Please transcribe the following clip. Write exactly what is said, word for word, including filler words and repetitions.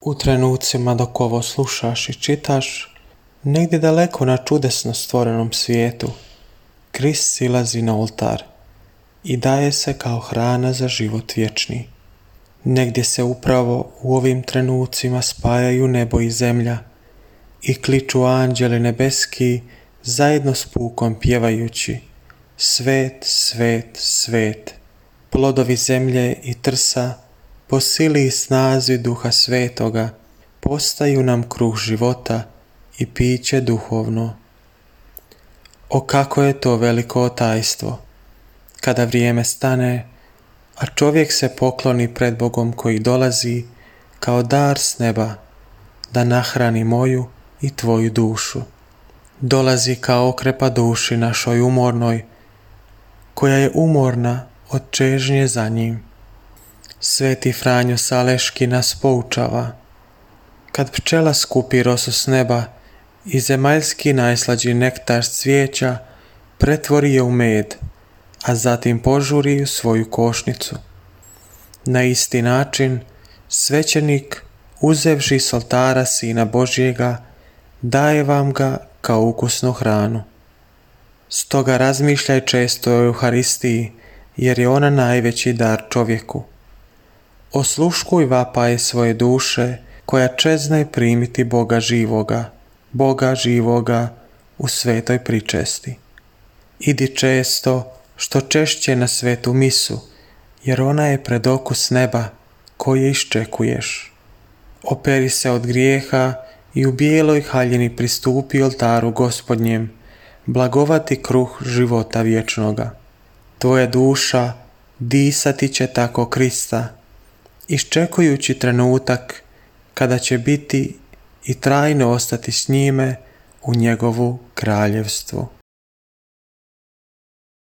U trenucima dok ovo slušaš i čitaš, negdje daleko na čudesno stvorenom svijetu, Krist silazi na oltar i daje se kao hrana za život vječni. Negdje se upravo u ovim trenucima spajaju nebo i zemlja i kliču anđeli nebeski zajedno s pukom pjevajući: Svet, svet, svet, plodovi zemlje i trsa po sili i snazi Duha Svetoga postaju nam kruh života i piće duhovno. O kako je to veliko tajstvo, kada vrijeme stane, a čovjek se pokloni pred Bogom koji dolazi kao dar s neba da nahrani moju i tvoju dušu. Dolazi kao okrepa duši našoj umornoj, koja je umorna od čežnje za njim. Sveti Franjo Saleški nas poučava: kad pčela skupi rosu s neba i zemaljski najslađi nektar s cvijeća pretvori je u med, a zatim požuri u svoju košnicu. Na isti način svećenik, uzevši s oltara Sina Božjega, daje vam ga kao ukusnu hranu. Stoga razmišljaj često o Euharistiji, jer je ona najveći dar čovjeku. Osluškuj vapaje svoje duše, koja čezne primiti Boga živoga, Boga živoga u svetoj pričesti. Idi često, što češće na svetu misu, jer ona je pred okus neba koje iščekuješ. Operi se od grijeha i u bijeloj haljini pristupi oltaru Gospodnjem, blagovati kruh života vječnoga. Tvoja duša disati će tako Krista, iščekujući trenutak kada će biti i trajno ostati s njime u njegovu kraljevstvu.